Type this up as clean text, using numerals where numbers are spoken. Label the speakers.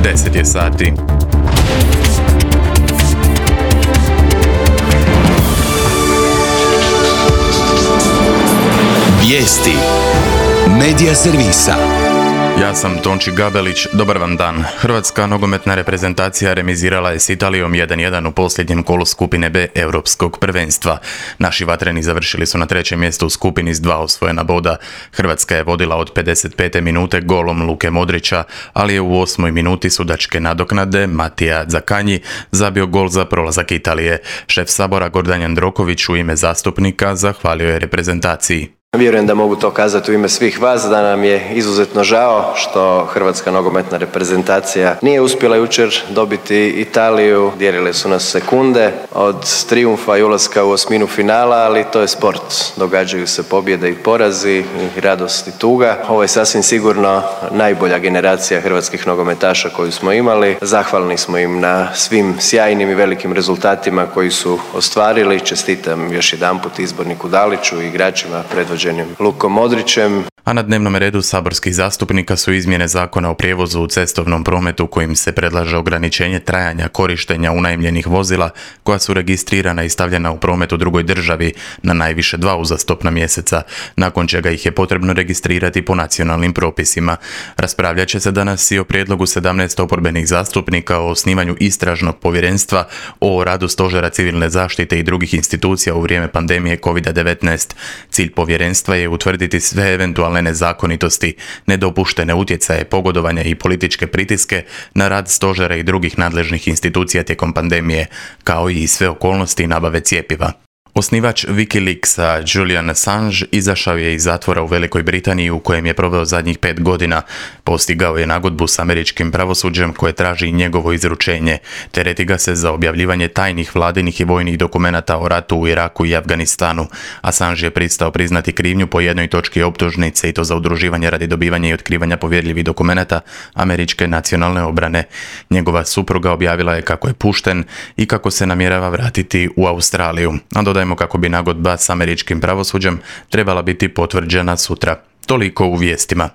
Speaker 1: 10 je sati.
Speaker 2: Vijesti Medija servisa.
Speaker 1: Ja sam Tonči Gabelić, dobar vam dan. Hrvatska nogometna reprezentacija remizirala je s Italijom 1:1 u posljednjem kolu skupine B Europskog prvenstva. Naši vatreni završili su na trećem mjestu u skupini s 2 osvojena boda. Hrvatska je vodila od 55. minute golom Luke Modrića, ali je u 8. minuti sudačke nadoknade Matija Zakanji zabio gol za prolazak Italije. Šef Sabora Gordan Jandroković u ime zastupnika zahvalio je reprezentaciji.
Speaker 3: Vjerujem da mogu to kazati u ime svih vas, da nam je izuzetno žao što hrvatska nogometna reprezentacija nije uspjela jučer dobiti Italiju. Dijelile su nas sekunde od trijumfa i ulaska u osminu finala, ali to je sport. Događaju se pobjede i porazi, i radost i tuga. Ovo je sasvim sigurno najbolja generacija hrvatskih nogometaša koju smo imali. Zahvalni smo im na svim sjajnim i velikim rezultatima koji su ostvarili. Čestitam još jedanput izborniku Daliću i igračima predvođenim Lukom Modrićem.
Speaker 1: A na dnevnom redu saborskih zastupnika su izmjene zakona o prijevozu u cestovnom prometu kojim se predlaže ograničenje trajanja korištenja unajmljenih vozila koja su registrirana i stavljena u promet u drugoj državi na najviše 2 uzastopna mjeseca, nakon čega ih je potrebno registrirati po nacionalnim propisima. Raspravljat će se danas i o prijedlogu 17 oporbenih zastupnika o osnivanju istražnog povjerenstva o radu Stožera civilne zaštite i drugih institucija u vrijeme pandemije COVID-19. Cilj povjerenstva je utvrditi sve eventualne nezakonitosti, nedopuštene utjecaje, pogodovanja i političke pritiske na rad stožera i drugih nadležnih institucija tijekom pandemije, kao i sve okolnosti nabave cjepiva. Osnivač Wikileaksa Julian Assange izašao je iz zatvora u Velikoj Britaniji u kojem je proveo zadnjih 5 godina. Postigao je nagodbu s američkim pravosuđem koje traži njegovo izručenje. Tereti ga se za objavljivanje tajnih vladinih i vojnih dokumenata o ratu u Iraku i Afganistanu. Assange je pristao priznati krivnju po jednoj točki optužnice i to za udruživanje radi dobivanja i otkrivanja povjerljivih dokumenata američke nacionalne obrane. Njegova supruga objavila je kako je pušten i kako se namjerava vratiti u Australiju. A dodajmo kako bi nagodba s američkim pravosuđem trebala biti potvrđena sutra. Toliko u vijestima.